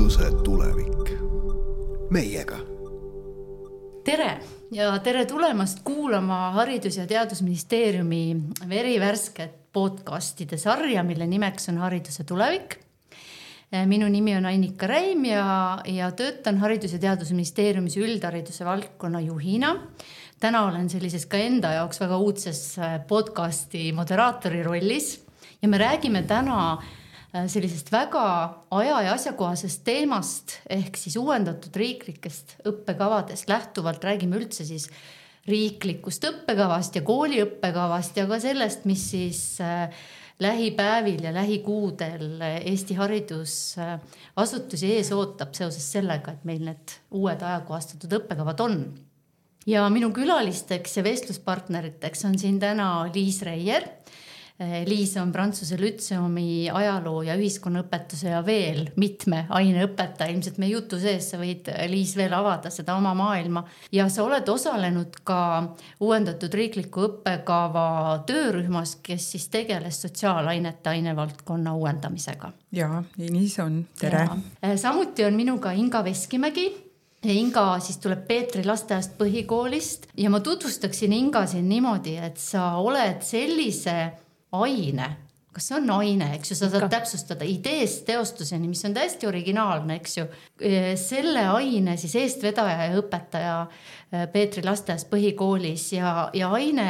hariduse tulevik. Meiega. Tere ja tere tulemast kuulama Haridus- ja Teadusministeeriumi verivärsket podcastide sarja, mille nimeks on Hariduse tulevik. Minu nimi on Annika Räim ja töötan Haridus- ja Teadusministeeriumis üldhariduse valdkonna juhina. Täna olen sellises ka enda jaoks väga uudses podcasti moderaatori rollis ja me räägime täna sellisest väga aja- ja asjakohasest teemast ehk siis uuendatud riiklikest õppekavadest lähtuvalt räägime üldse siis riiklikust õppekavast ja kooliõppekavast ja ka sellest, mis siis lähipäevil ja lähikuudel Eesti haridusasutusi ees ootab seoses sellega, et meil need uued ajakohastatud õppekavad on. Ja minu külalisteks ja vestluspartneriteks on siin täna Liis Reier. Liis on Prantsuse Lütseumi ajaloo ja ühiskonnaõpetuse ja veel mitme aineõpetaja. Ilmselt meie jutu sees sa võid, Liis, veel avada seda oma maailma. Ja sa oled osalenud ka uuendatud riikliku õppekava töörühmas, kes siis tegeles sotsiaalainete ainevaldkonna uuendamisega. Jaa, nii see on. Tere. Ja. Samuti on minuga Inga Veskimägi. Inga siis tuleb Peetri lasteaiast põhikoolist ja ma tutvustaksin Inga siin niimoodi, et sa oled sellise aine, kas see on aine, eks ju, sa saad täpsustada ideest teostuseni, mis on täiesti originaalne, eks ju. Selle aine siis eestvedaja ja õpetaja Peetri lasteaias põhikoolis ja aine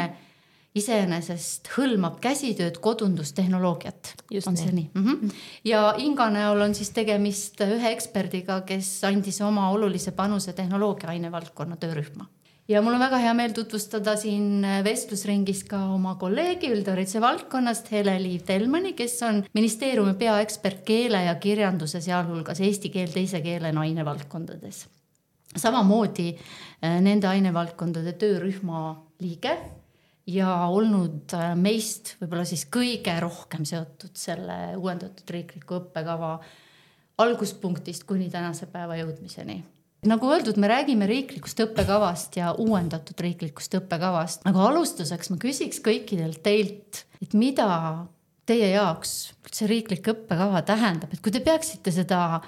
iseenesest hõlmab käsitööd, kodundustehnoloogiat. Just on see nii? Ja Inga näol on siis tegemist ühe eksperdiga, kes andis oma olulise panuse tehnoloogia ainevaldkonna töörühma. Ja mul on väga hea meel tutvustada siin vestlusringis ka oma kolleegi üldhariduse valdkonnast Hele-Liiv Telmani, kes on ministeeriumi peaekspert keele ja kirjanduse, sealhulgas eesti keel teise keelena ainevaldkondades. Samamoodi nende ainevaldkondade töörühma liige ja olnud meist võib-olla siis kõige rohkem seotud selle uuendatud riikliku õppekava alguspunktist kuni tänase päeva jõudmiseni. Nagu öeldud, me räägime riiklikust õppekavast ja uuendatud riiklikust õppekavast. Aga alustuseks ma küsiks kõikidelt teilt, et mida teie jaoks see riiklik õppekava tähendab? Et kui te peaksite seda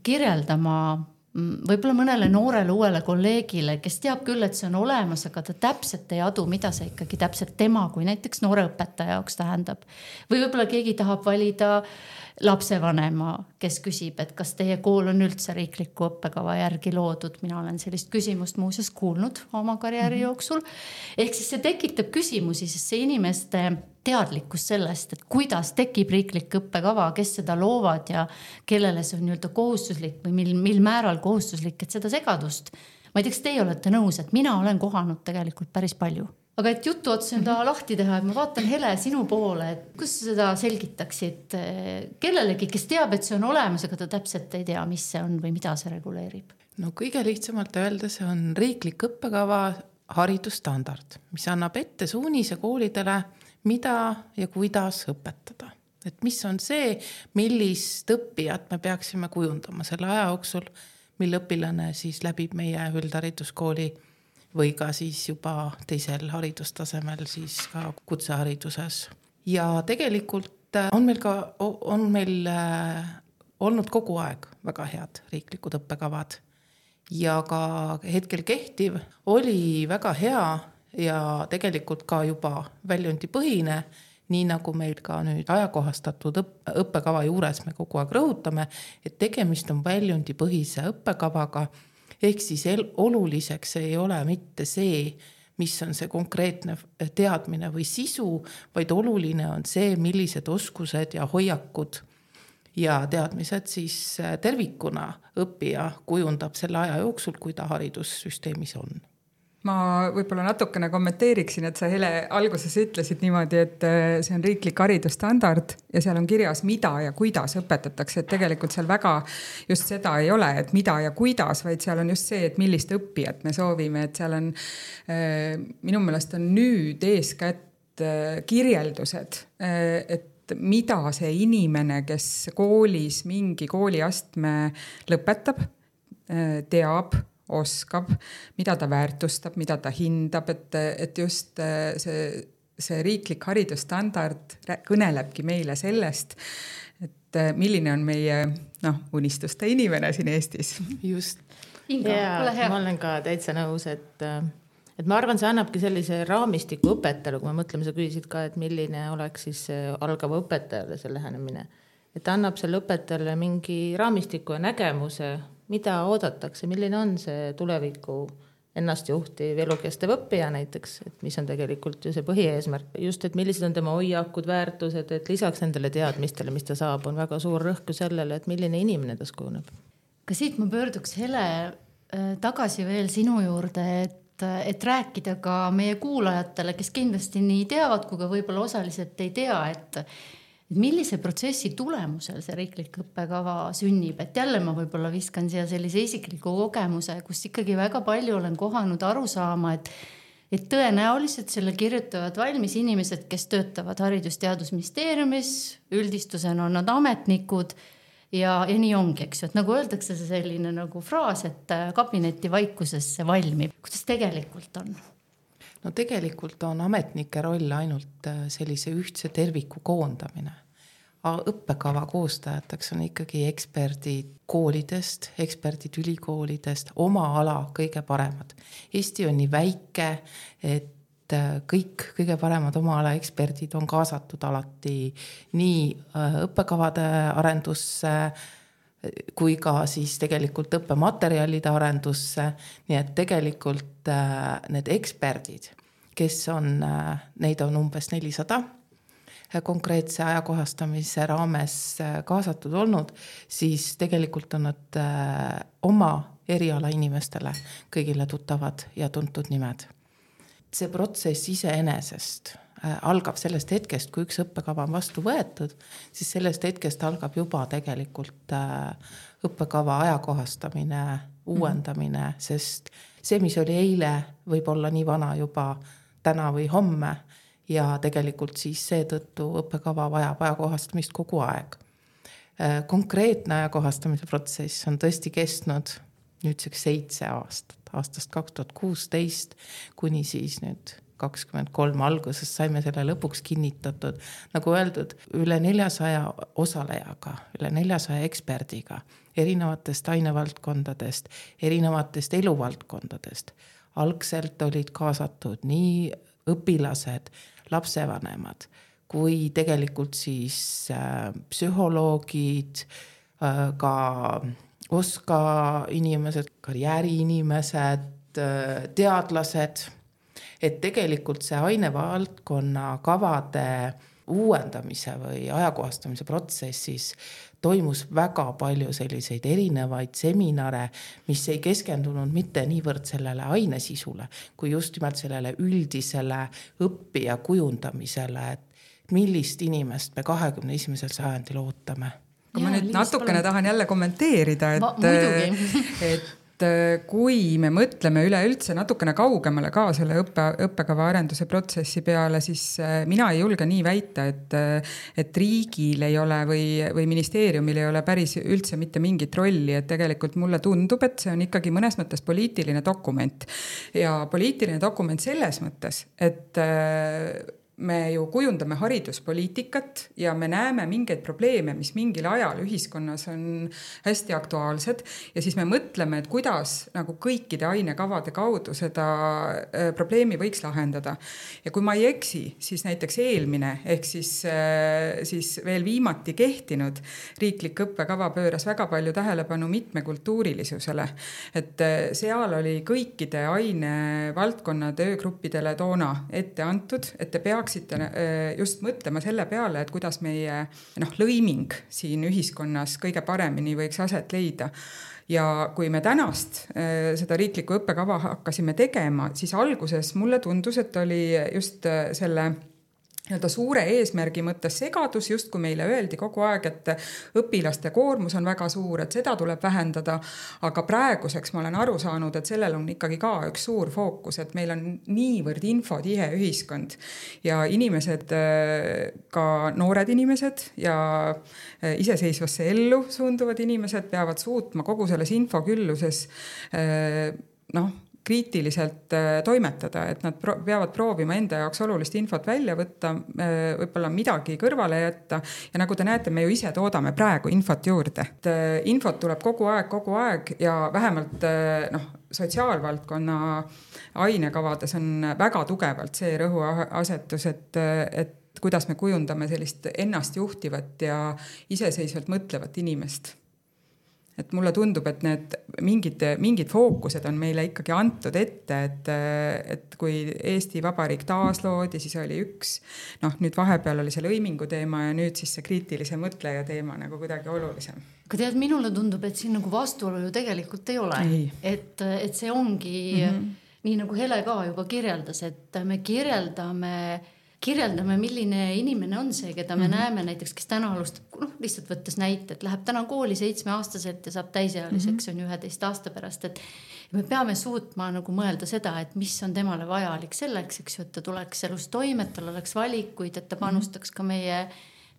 kirjeldama võib-olla mõnele noorele uuele kolleegile, kes teab küll, et see on olemas, aga ta täpselt ei adu, mida see ikkagi täpselt tema kui näiteks noore õpetaja jaoks tähendab. Või võib-olla keegi tahab valida lapsevanema, kes küsib, et kas teie kool on üldse riikliku õppekava järgi loodud. Mina olen sellist küsimust muuseas kuulnud oma karjääri jooksul. Ehk siis see tekitab küsimusi, sest see inimeste teadlikkus sellest, et kuidas tekib riiklik õppekava, kes seda loovad ja kellele see on nii-öelda kohustuslik või mil määral kohustuslik, et seda segadust. Ma ei tea, kas teie olete nõus, et mina olen kohanud tegelikult päris palju. Aga et jutu otsa enda lahti teha, et ma vaatan Hele sinu poole, et kus sa seda selgitaksid kellelegi, kes teab, et see on olemas, aga ta täpselt ei tea, mis see on või mida see reguleerib? No kõige lihtsamalt öelda, see on riiklik õppekava haridusstandard, mis annab ette suunise koolidele, mida ja kuidas õpetada. Et mis on see, millist õppijat me peaksime kujundama selle aja jooksul, mil õpilane siis läbib meie üldhariduskooli või ka siis juba teisel haridustasemel siis ka kutsehariduses. Ja tegelikult on meil olnud kogu aeg väga head riiklikud õppekavad. Ja ka hetkel kehtiv oli väga hea ja tegelikult ka juba väljundipõhine, nii nagu meil ka nüüd ajakohastatud õppekava juures me kogu aeg rõhutame, et tegemist on väljundipõhise õppekavaga. Ehk siis oluliseks ei ole mitte see, mis on see konkreetne teadmine või sisu, vaid oluline on see, millised oskused ja hoiakud ja teadmised siis tervikuna õppija kujundab selle aja jooksul, kui ta haridussüsteemis on. Ma võib-olla natukene kommenteeriksin, et sa Hele alguses ütlesid niimoodi, et see on riiklik haridusstandard ja seal on kirjas, mida ja kuidas õpetatakse. Et tegelikult seal väga just seda ei ole, et mida ja kuidas, vaid seal on just see, et millist õppijat me soovime. Et seal on, minu meelest on nüüd eeskätt kirjeldused, et mida see inimene, kes koolis mingi kooliastme lõpetab, teab, oskab, mida ta väärtustab, mida ta hindab, et just see riiklik haridusstandard kõnelebki meile sellest, et et milline on meie unistuste inimene siin Eestis. Just. Inga, ole hea. Ma olen ka täitsa nõus, et ma arvan, see annabki sellise raamistiku õpetajale, kui me mõtleme, sa küsisid ka, et milline oleks siis algava õpetajale see lähenemine. Et ta annab selle õpetajale mingi raamistiku ja nägemuse, mida oodatakse, milline on see tuleviku ennast juhtiv elukestev õppija näiteks, et mis on tegelikult ju see põhieesmärk. Just, et millised on tema hoiakud, väärtused, et lisaks nendele teadmistele, mis ta saab, on väga suur rõhk sellele, et milline inimene tas kujuneb. Ka siit ma pöörduks Hele tagasi veel sinu juurde, et rääkida ka meie kuulajatele, kes kindlasti nii teavad, kui ka võib-olla osaliselt ei tea, et millise protsessi tulemusel see riiklik õppekava sünnib. Et jälle ma võib-olla viskan siia sellise isikliku kogemuse, kus ikkagi väga palju olen kohanud aru saama, et tõenäoliselt selle kirjutavad valmis inimesed, kes töötavad Haridus-Teadusministeeriumis, üldistusena on nad ametnikud ja nii ongi, eks ju, et nagu öeldakse see selline nagu fraas, et kabineti vaikuses see valmib. Kuidas tegelikult on? No tegelikult on ametnike roll ainult sellise ühtse terviku koondamine. Õppekava koostajateks on ikkagi eksperdid koolidest, eksperdid ülikoolidest, oma ala kõige paremad. Eesti on nii väike, et kõik kõige paremad oma ala eksperdid on kaasatud alati nii õppekavade arendusse kui ka siis tegelikult õppematerjalide arendusse. Nii et tegelikult need eksperdid, kes on, neid on umbes 400 konkreetse ajakohastamise raames kaasatud olnud, siis tegelikult on nad oma eriala inimestele kõigile tuttavad ja tuntud nimed. See protsess iseenesest algab sellest hetkest, kui üks õppekava on vastu võetud, siis sellest hetkest algab juba tegelikult õppekava ajakohastamine, uuendamine, sest see, mis oli eile, võib olla nii vana juba täna või homme ja tegelikult siis seetõttu õppekava vajab ajakohastamist kogu aeg. Konkreetne ajakohastamise protsess on tõesti kestnud nüüdseks 7 aastat. Aastast 2016 kuni siis nüüd 23 alguses saime selle lõpuks kinnitatud. Nagu öeldud, üle 400 osalejaga, üle 400 eksperdiga, erinevatest ainevaldkondadest, erinevatest eluvaldkondadest. Algselt olid kaasatud nii õpilased, lapsevanemad, kui tegelikult siis psühholoogid, ka OSKA inimesed, karjääriinimesed, teadlased, et tegelikult see ainevaldkonna kavade uuendamise või ajakohastamise protsessis toimus väga palju selliseid erinevaid seminare, mis ei keskendunud mitte niivõrd sellele ainesisule, kui just nimelt sellele üldisele õppija kujundamisele, et millist inimest me 21. sajandil ootame. Kui ma nüüd natukene tahan jälle kommenteerida, et kui me mõtleme üleüldse natukene kaugemale ka selle õppekava arenduse protsessi peale, siis mina ei julge nii väita, et riigil ei ole või ministeeriumil ei ole päris üldse mitte mingit rolli, et tegelikult mulle tundub, et see on ikkagi mõnes mõttes poliitiline dokument. Ja poliitiline dokument selles mõttes, et me ju kujundame hariduspoliitikat ja me näeme mingeid probleeme, mis mingil ajal ühiskonnas on hästi aktuaalsed ja siis me mõtleme, et kuidas nagu kõikide ainekavade kaudu seda probleemi võiks lahendada. Ja kui ma ei eksi, siis näiteks eelmine ehk siis veel viimati kehtinud riiklik õppekava pööras väga palju tähelepanu mitmekultuurilisusele. Et seal oli kõikide ainevaldkonna töögruppidele toona ette antud, et te peaks just mõtlema selle peale, et kuidas meie lõiming siin ühiskonnas kõige paremini võiks aset leida. Ja kui me tänast seda riiklikku õppekava hakkasime tegema, siis alguses mulle tundus, et oli just selle suure eesmärgi mõttes segadus, just kui meile öeldi kogu aeg, et õpilaste koormus on väga suur, et seda tuleb vähendada, aga praeguseks ma olen aru saanud, et sellel on ikkagi ka üks suur fookus, et meil on niivõrd infotihe ühiskond ja inimesed, ka noored inimesed ja iseseisvasse ellu suunduvad inimesed peavad suutma kogu selles infokülluses kriitiliselt toimetada, et nad peavad proovima enda jaoks olulist infot välja võtta, võib-olla midagi kõrvale jätta ja nagu te näete, me ju ise toodame praegu infot juurde. Infot tuleb kogu aeg ja vähemalt sotsiaalvaldkonna ainekavades on väga tugevalt see rõhuasetus, et kuidas me kujundame sellist ennast juhtivat ja iseseisvalt mõtlevat inimest. Et mulle tundub, et need mingid fookused on meile ikkagi antud ette, et kui Eesti Vabariik taasloodi, siis oli üks, nüüd vahepeal oli see lõimingu teema ja nüüd siis see kriitilise mõtleja teema nagu kuidagi olulisem. Aga tead, minule tundub, et siin nagu vastuolu ju tegelikult ei ole. Et see ongi nii nagu Hele ka juba kirjeldas, et me kirjeldame, milline inimene on see, keda me näeme näiteks, kes täna alustab, lihtsalt võttes näite, et läheb täna kooli 7-aastaselt ja saab täisealiseks on 11 aasta pärast, et me peame suutma nagu mõelda seda, et mis on temale vajalik selleks, eks ju, et ta tuleks elus toime, et tal oleks valikuid, et ta panustaks ka meie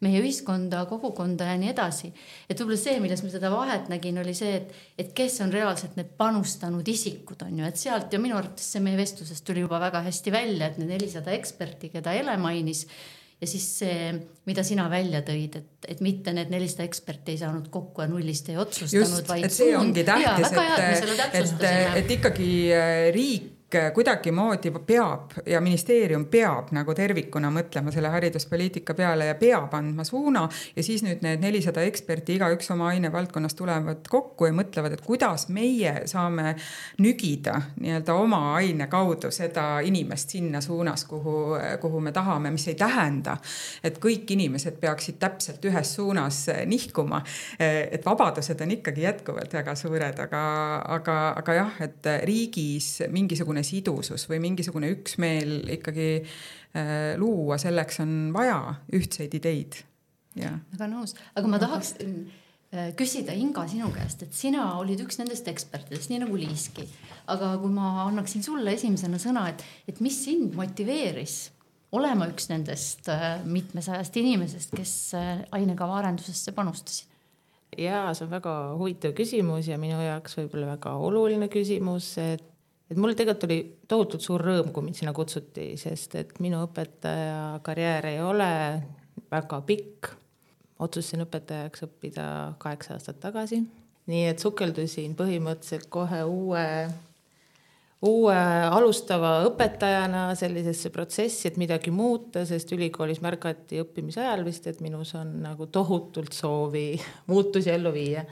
ühiskonda, kogukonda ja nii edasi. Et võib-olla see, milles me seda vahet nägin, oli see, et kes on reaalselt need panustanud isikud on ju, et sealt ja minu arvates see meie vestlusest tuli juba väga hästi välja, et need 400 eksperti, keda Ele mainis ja siis see, mida sina välja tõid, et mitte need 400 eksperti ei saanud kokku ja nullist ei otsustanud, vaid et see ongi tähtis, et ikkagi riik kuidagimoodi peab ja ministeerium peab nagu tervikuna mõtlema selle hariduspoliitika peale ja peab andma suuna ja siis nüüd need 400 eksperti igaüks oma ainevaldkonnas tulevad kokku ja mõtlevad, et kuidas meie saame nügida nii-öelda oma aine kaudu seda inimest sinna suunas, kuhu me tahame, mis ei tähenda, et kõik inimesed peaksid täpselt ühes suunas nihkuma, et vabadused on ikkagi jätkuvalt väga suured, aga jah, et riigis mingisugune sidusus või mingisugune üksmeel ikkagi luua, selleks on vaja ühtseid ideid. Väga nõus, aga ma tahaks küsida Inga sinu käest, et sina olid üks nendest ekspertidest, nii nagu Liiski, aga kui ma annaksin sulle esimesena sõna, et mis sind motiveeris olema üks nendest mitmesajast inimesest, kes ainekava arendusesse panustasid? Jaa, see on väga huvitav küsimus ja minu jaoks võib-olla väga oluline küsimus, et mul tegelikult oli tohutult suur rõõm, kui mind sinna kutsuti, sest et minu õpetaja karjäär ei ole väga pikk. Otsustasin õpetajaks õppida 8 aastat tagasi. Nii et sukeldusin põhimõtteliselt kohe uue alustava õpetajana sellisesse protsessi, et midagi muuta, sest ülikoolis märgati õppimise ajal vist, et minus on nagu tohutult soovi muutusi ellu viia.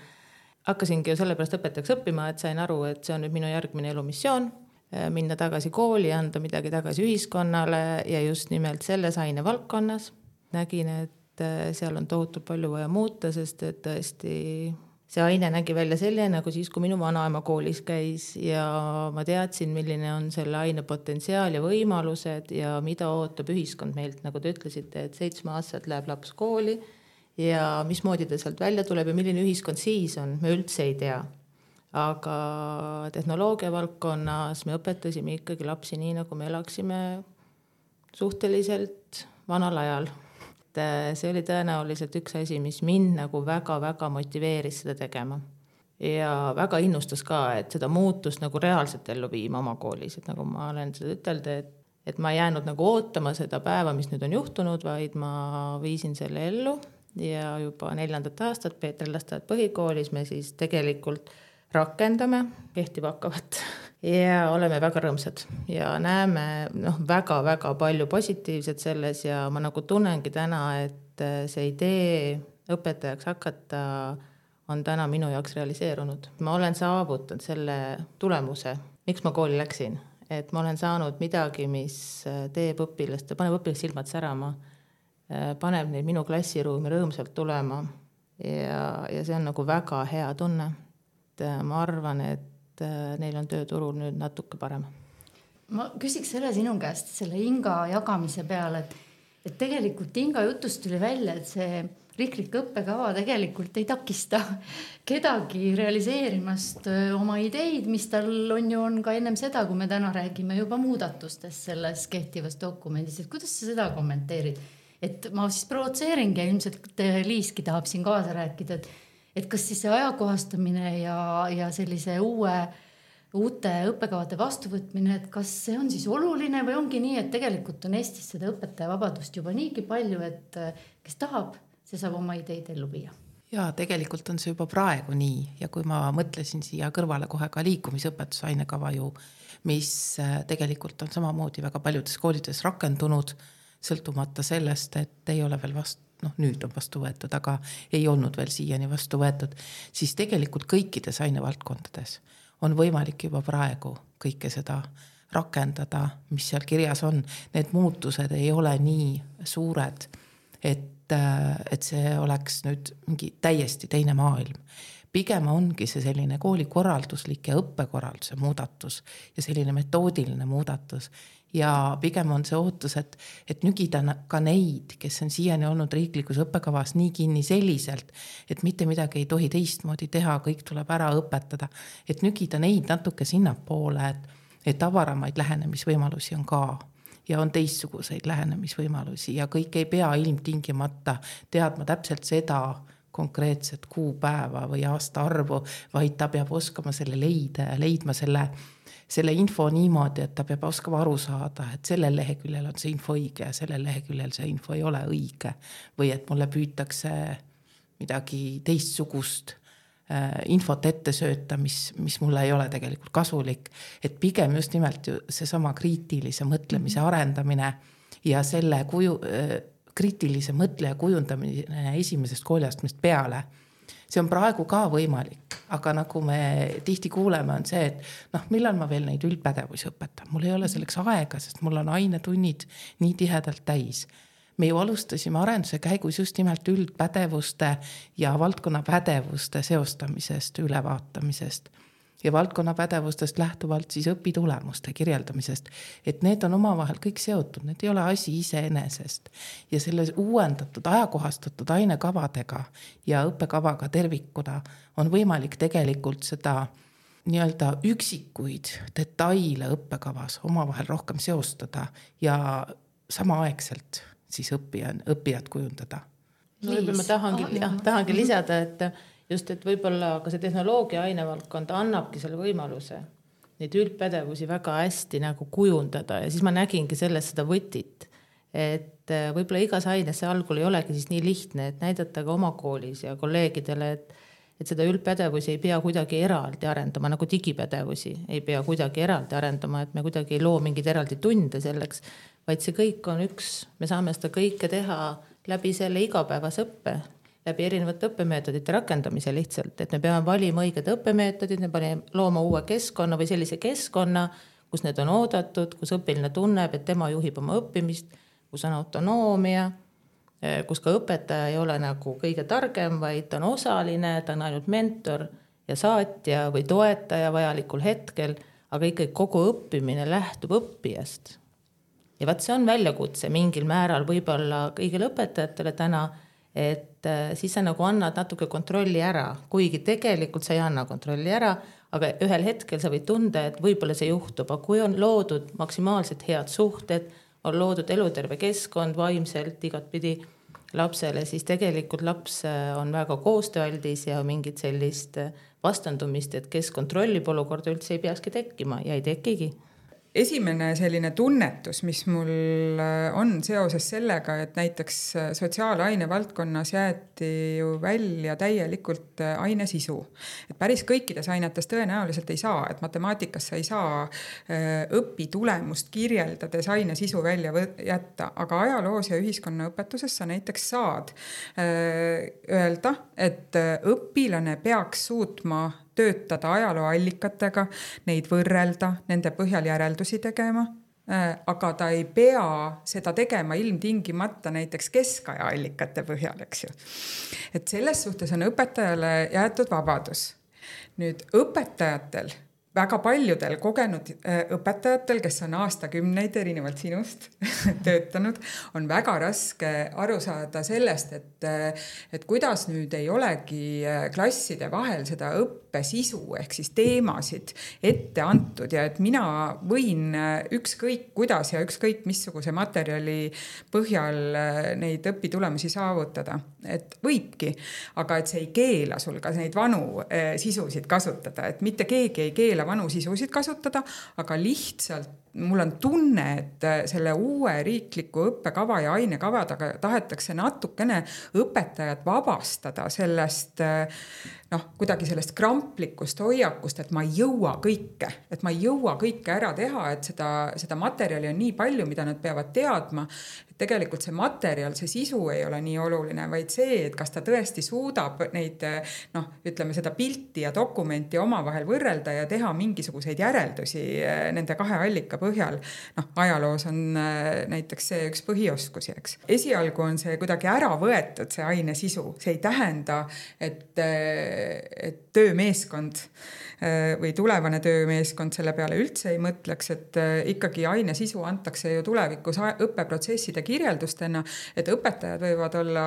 Hakkasingi ju sellepärast õpetajaks õppima, et sain aru, et see on nüüd minu järgmine elumissioon, minna tagasi kooli, anda midagi tagasi ühiskonnale ja just nimelt selles ainevaldkonnas. Nägin, et seal on tohutult palju vaja muuta, sest et tõesti see aine nägi välja selline, nagu siis, kui minu vanaema koolis käis ja ma teadsin, milline on selle aine potentsiaal ja võimalused ja mida ootab ühiskond meilt, nagu te ütlesite, et 7-aastaselt läheb laps kooli ja mismoodi ta sealt välja tuleb ja milline ühiskond siis on, me üldse ei tea. Aga tehnoloogia valdkonnas me õpetasime ikkagi lapsi nii, nagu me elaksime suhteliselt vanal ajal. See oli tõenäoliselt üks asi, mis mind nagu väga-väga motiveeris seda tegema. Ja väga innustas ka, et seda muutust nagu reaalselt ellu viima oma koolis. Et nagu ma olen seda ütelda, et ma jäänud nagu ootama seda päeva, mis nüüd on juhtunud, vaid ma viisin selle ellu. Ja juba 4. aastat Peetri lasteaed põhikoolis me siis tegelikult rakendame kehtivakkavat ja oleme väga rõõmsad ja näeme väga-väga palju positiivset selles ja ma nagu tunnengi täna, et see idee õpetajaks hakata on täna minu jaoks realiseerunud. Ma olen saavutanud selle tulemuse, miks ma kooli läksin, et ma olen saanud midagi, mis teeb õpilast, paneb õpilast silmad särama, paneb neid minu klassiruumi rõõmsalt tulema ja see on nagu väga hea tunne. Ma arvan, et neil on tööturul nüüd natuke parem. Ma küsiks selle sinu käest, selle Inga jagamise peale, et tegelikult Inga jutust tuli välja, et see riiklik õppekava tegelikult ei takista kedagi realiseerimast oma ideid, mis tal on ka ennem seda, kui me täna räägime juba muudatustest selles kehtivas dokumendis. Et kuidas sa seda kommenteerid? Et ma siis provotseeringi ja ilmselt Liiski tahab siin kaasa rääkida, et kas siis see ajakohastamine ja sellise uue uute õppekavade vastuvõtmine, et kas see on siis oluline või ongi nii, et tegelikult on Eestis seda õpetaja vabadust juba niigi palju, et kes tahab, see saab oma ideid ellu viia. Ja tegelikult on see juba praegu nii ja kui ma mõtlesin siia kõrvale kohe ka liikumisõpetuse ainekava ju, mis tegelikult on samamoodi väga paljudes koolides rakendunud, sõltumata sellest, et ei ole veel nüüd on vastu võetud, aga ei olnud veel siiani vastu võetud, siis tegelikult kõikides ainevaldkondades on võimalik juba praegu kõike seda rakendada, mis seal kirjas on. Need muutused ei ole nii suured, et see oleks nüüd mingi täiesti teine maailm. Pigem ongi see selline koolikorralduslik ja õppekorralduse muudatus ja selline metoodiline muudatus. Ja pigem on see ootus, et nügida ka neid, kes on siiani olnud riiklikus õppekavas nii kinni selliselt, et mitte midagi ei tohi teistmoodi teha, kõik tuleb ära õpetada, et nügida neid natuke sinnapoole, et avaramaid lähenemisvõimalusi on ka ja on teistsuguseid lähenemisvõimalusi ja kõik ei pea ilmtingimata teadma täpselt seda konkreetset kuupäeva või aasta arvu, vaid ta peab oskama selle leidma selle info niimoodi, et ta peab oskama aru saada, et sellel leheküljel on see info õige ja sellel leheküljel see info ei ole õige või et mulle püütakse midagi teistsugust infot ette sööta, mis mulle ei ole tegelikult kasulik, et pigem just nimelt seesama kriitilise mõtlemise arendamine ja selle kriitilise mõtleja kujundamine esimesest kooliastmest peale. See on praegu ka võimalik, aga nagu me tihti kuuleme, on see, et millal ma veel neid üldpädevusi õpetan. Mul ei ole selleks aega, sest mul on ainetunnid nii tihedalt täis. Me ju alustasime arenduse käigus just nimelt üldpädevuste ja valdkonna pädevuste seostamisest, ülevaatamisest ja valdkonna pädevustest lähtuvalt siis õpitulemuste kirjeldamisest, et need on omavahel kõik seotud, need ei ole asi iseenesest ja selle uuendatud, ajakohastatud ainekavadega ja õppekavaga tervikuna on võimalik tegelikult seda nii-öelda üksikuid detaile õppekavas omavahel rohkem seostada ja samaaegselt siis õppijad kujundada. Ma tahangi lisada, et võib-olla ka see tehnoloogia ainevaldkond annabki selle võimaluse neid üldpädevusi väga hästi nagu kujundada ja siis ma nägingi sellest seda võtit, et võib-olla igas aines see algul ei olegi siis nii lihtne, et näidata ka oma koolis ja kolleegidele, et seda üldpädevusi ei pea kuidagi eraldi arendama, nagu digipädevusi ei pea kuidagi eraldi arendama, et me kuidagi ei loo mingid eraldi tunde selleks, vaid see kõik on me saame seda kõike teha läbi selle igapäevase õppe, läbi erinevate õppemeetodite rakendamise lihtsalt, et me peame valima õiged õppemeetodid, me peame looma uue keskkonna või sellise keskkonna, kus need on oodatud, kus õpiline tunneb, et tema juhib oma õppimist, kus on autonoomia, kus ka õpetaja ei ole nagu kõige targem, vaid ta on osaline, ta on ainult mentor ja saatja või toetaja vajalikul hetkel, aga ikkagi kogu õppimine lähtub õppijast. Ja vaat see on väljakutse mingil määral võib-olla kõigile õpetajatele täna, et siis sa nagu annad natuke kontrolli ära, kuigi tegelikult sa ei anna kontrolli ära, aga ühel hetkel sa võid tunda, et võib-olla see juhtub, aga kui on loodud maksimaalselt head suhted, on loodud eluterve keskkond vaimselt igatpidi lapsele, siis tegelikult laps on väga koostööaldis ja mingit sellist vastandumist, et kes kontrollib olukorda üldse ei peakski tekkima ja ei tekigi. Esimene selline tunnetus, mis mul on seoses sellega, et näiteks sotsiaalaine valdkonnas jäeti ju välja täielikult aine sisu. Et päris kõikides ainetes tõenäoliselt ei saa, et matemaatikas sa ei saa õpitulemust kirjeldades aine sisu välja jätta, aga ajaloos ja ühiskonnaõpetuses sa näiteks saad öelda, et õpilane peaks suutma töötada ajalooallikatega, neid võrrelda, nende põhjal järeldusi tegema, aga ta ei pea seda tegema ilmtingimata näiteks keskaja allikate põhjal, eks ju. Et selles suhtes on õpetajale jäetud vabadus. Nüüd õpetajatel, väga paljudel kogenud õpetajatel, kes on aastakümneid erinevalt sinust töötanud, on väga raske aru saada sellest, et kuidas nüüd ei olegi klasside vahel seda õppesisu ehk siis teemasid ette antud ja et mina võin ükskõik kuidas ja ükskõik missuguse materjali põhjal neid õpitulemusi saavutada. Et võibki, aga et see ei keela sul ka neid vanu sisusid kasutada, et mitte keegi ei keela vanu sisusid kasutada, aga lihtsalt mul on tunne, et selle uue riikliku õppekava ja ainekavadega tahetakse natukene õpetajat vabastada sellest, kuidagi sellest kramplikust hoiakust, et ma ei jõua kõike ära teha, et seda materjali on nii palju, mida nad peavad teadma. Tegelikult see materjal, see sisu ei ole nii oluline, vaid see, et kas ta tõesti suudab neid, ütleme seda pilti ja dokumenti omavahel võrrelda ja teha mingisuguseid järeldusi nende kahe allika põhjal. Ajaloos on näiteks see üks põhioskusi, eks. Esialgu on see kuidagi ära võetud, see aine sisu. See ei tähenda, et töömeeskond või tulevane töömeeskond selle peale üldse ei mõtleks, et ikkagi aine sisu antakse ju tulevikus õppeprotsesside kirjeldustena, et õpetajad võivad olla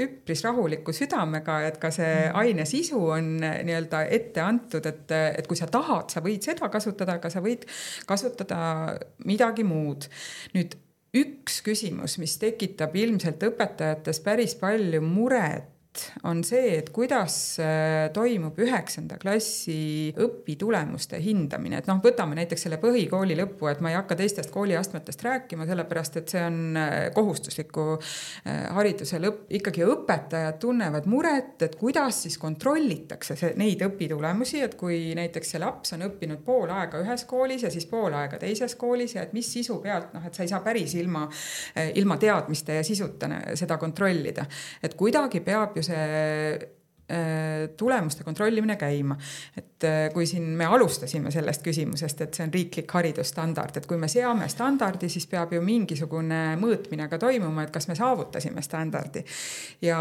üpris rahuliku südamega, et ka see aine sisu on nii-öelda ette antud, et kui sa tahad, sa võid seda kasutada, aga sa võid kasutada midagi muud. Nüüd üks küsimus, mis tekitab ilmselt õpetajates päris palju muret, on see, et kuidas toimub 9. klassi õpitulemuste hindamine. Et võtame näiteks selle põhikooli lõppu, et ma ei hakka teistest kooliastmetest rääkima, sellepärast, et see on kohustusliku hariduse lõpp. Ikkagi õpetajad tunnevad muret, et kuidas siis kontrollitakse neid õpitulemusi, et kui näiteks see laps on õppinud pool aega ühes koolis ja siis pool aega teises koolis ja et mis sisu pealt, et sa ei saa päris ilma teadmiste ja sisuta seda kontrollida. Et kuidagi peab ju see tulemuste kontrollimine käima. Et kui siin me alustasime sellest küsimusest, et see on riiklik haridusstandard, et kui me seame standardi, siis peab ju mingisugune mõõtmine ka toimuma, et kas me saavutasime standardi. Ja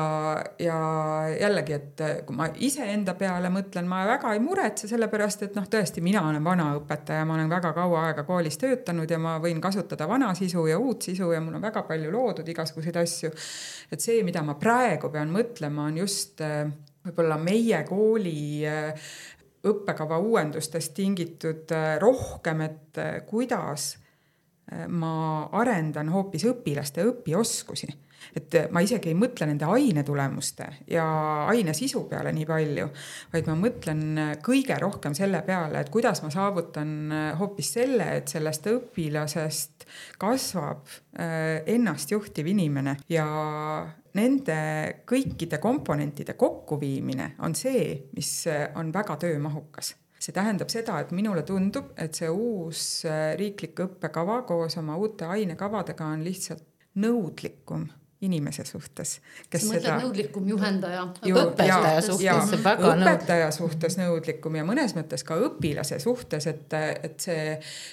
jällegi, et kui ma iseenda peale mõtlen, ma väga ei muretse sellepärast, et tõesti, mina olen vana õpetaja, ma olen väga kaua aega koolis töötanud ja ma võin kasutada vana sisu ja uut sisu ja mul on väga palju loodud igasuguseid asju. Et see, mida ma praegu pean mõtlema, on just võib-olla meie kooli õppekava uuendustest tingitud rohkem, et kuidas ma arendan hoopis õpilaste õpioskusi. Et ma isegi ei mõtle nende ainetulemuste ja aine sisu peale nii palju, vaid ma mõtlen kõige rohkem selle peale, et kuidas ma saavutan hoopis selle, et sellest õpilasest kasvab ennast juhtiv inimene ja nende kõikide komponentide kokkuviimine on see, mis on väga töömahukas. See tähendab seda, et minule tundub, et see uus riiklik õppekava koos oma uute ainekavadega on lihtsalt nõudlikum inimese suhtes. Sa mõtled nõudlikum juhendaja? Õpetaja suhtes nõudlikum ja mõnes mõttes ka õpilase suhtes, et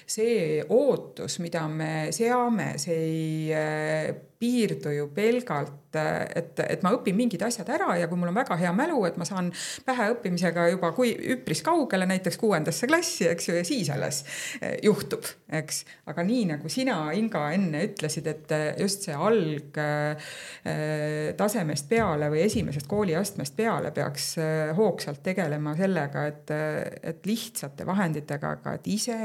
see ootus, mida me seame, see ei piirdu ju pelgalt, et ma õpin mingid asjad ära ja kui mul on väga hea mälu, et ma saan pähe õppimisega juba üpris kaugele, näiteks 6. klassi, eks ju, ja siis alles juhtub, eks. Aga nii nagu sina, Inga, enne ütlesid, et just see alg tasemest peale või esimesest kooliastmest peale peaks hoogsalt tegelema sellega, et lihtsate vahenditega, aga et ise,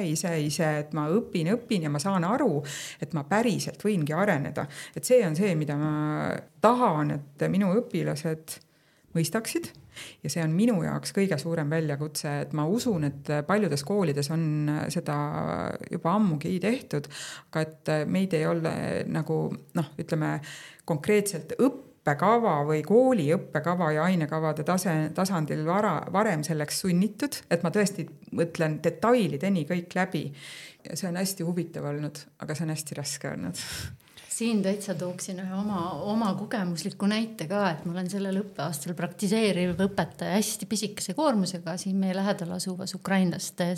et ma õpin ja ma saan aru, et ma päriselt võingi areneda. Et see on see, mida ma tahan, et minu õpilased mõistaksid ja see on minu jaoks kõige suurem väljakutse, et ma usun, et paljudes koolides on seda juba ammugi tehtud, aga et meid ei ole nagu, ütleme konkreetselt õppekava või kooli õppekava ja ainekavade tasandil varem selleks sunnitud, et ma tõesti mõtlen detailideni kõik läbi. Ja see on hästi huvitav olnud, aga see on hästi raske olnud. Siin täitsa tooksin ühe oma kogemusliku näite ka, et ma olen sellel õppeaastal praktiseeriv õpetaja hästi pisikese koormusega siin meie lähedal asuvas ukrainlaste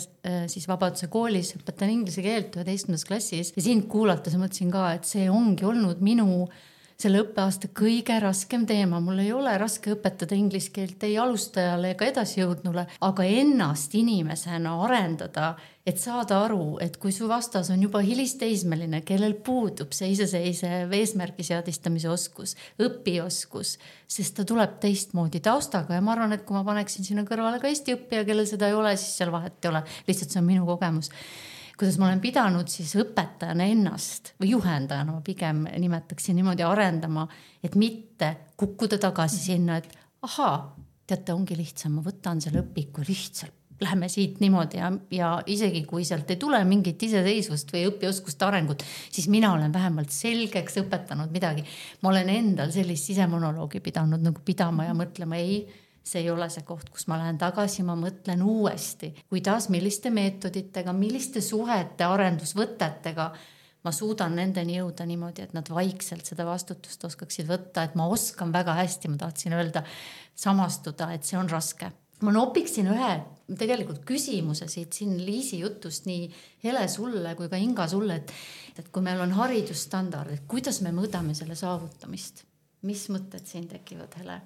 siis Vabaduse koolis õpetan inglise keelt 11. klassis ja siin kuulates mõtlesin ka, et see ongi olnud minu selle õppeaasta kõige raskem teema. Mul ei ole raske õpetada inglise keelt ei alustajale ega edasijõudnule, aga ennast inimesena arendada, et saada aru, et kui su vastas on juba hilisteismeline, kellel puudub see iseseisev eesmärgi seadistamise oskus, õpioskus, sest ta tuleb teistmoodi taustaga ja ma arvan, et kui ma paneksin sinna kõrvale ka Eesti õppija, kellel seda ei ole, siis seal vahet ei ole. Lihtsalt see on minu kogemus. Kuidas ma olen pidanud siis õpetajana ennast või juhendajana ma pigem nimetaksin niimoodi arendama, et mitte kukkuda tagasi sinna, et teate, ongi lihtsam, ma võtan selle õpiku lihtsalt, läheme siit niimoodi ja isegi kui sealt ei tule mingit iseseisvust või õpioskuste arengut, siis mina olen vähemalt selgeks õpetanud midagi. Ma olen endal sellist sisemonoloogi pidanud nagu pidama ja mõtlema, see ei ole see koht, kus ma lähen tagasi, ma mõtlen uuesti, kuidas, milliste meetoditega, milliste suhete, arendusvõtetega ma suudan nendeni jõuda niimoodi, et nad vaikselt seda vastutust oskaksid võtta, et ma oskan väga hästi, ma tahtsin öelda, samastuda, et see on raske. Ma nopiksin ühe tegelikult küsimuse siit siin Liisi jutust nii Hele sulle kui ka Inga sulle, et kui meil on haridusstandard, et kuidas me mõõdame selle saavutamist? Mis mõtted siin tekivad, Hele?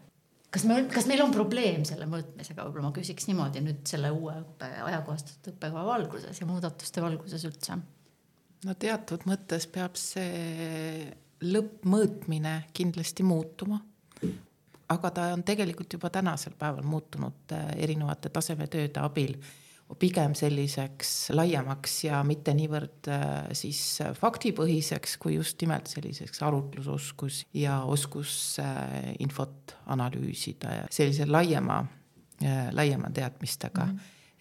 Kas meil on probleem selle mõõtmisega? Võib-olla ma küsiks niimoodi nüüd selle uue ajakohastatud õppekava valguses ja muudatuste valguses üldse. No teatud mõttes peab see lõppmõõtmine kindlasti muutuma, aga ta on tegelikult juba tänasel päeval muutunud erinevate tasemetööde abil pigem selliseks laiemaks ja mitte niivõrd siis faktipõhiseks, kui just nimelt selliseks arutlusoskus ja oskus infot analüüsida ja sellise laiema teadmistega.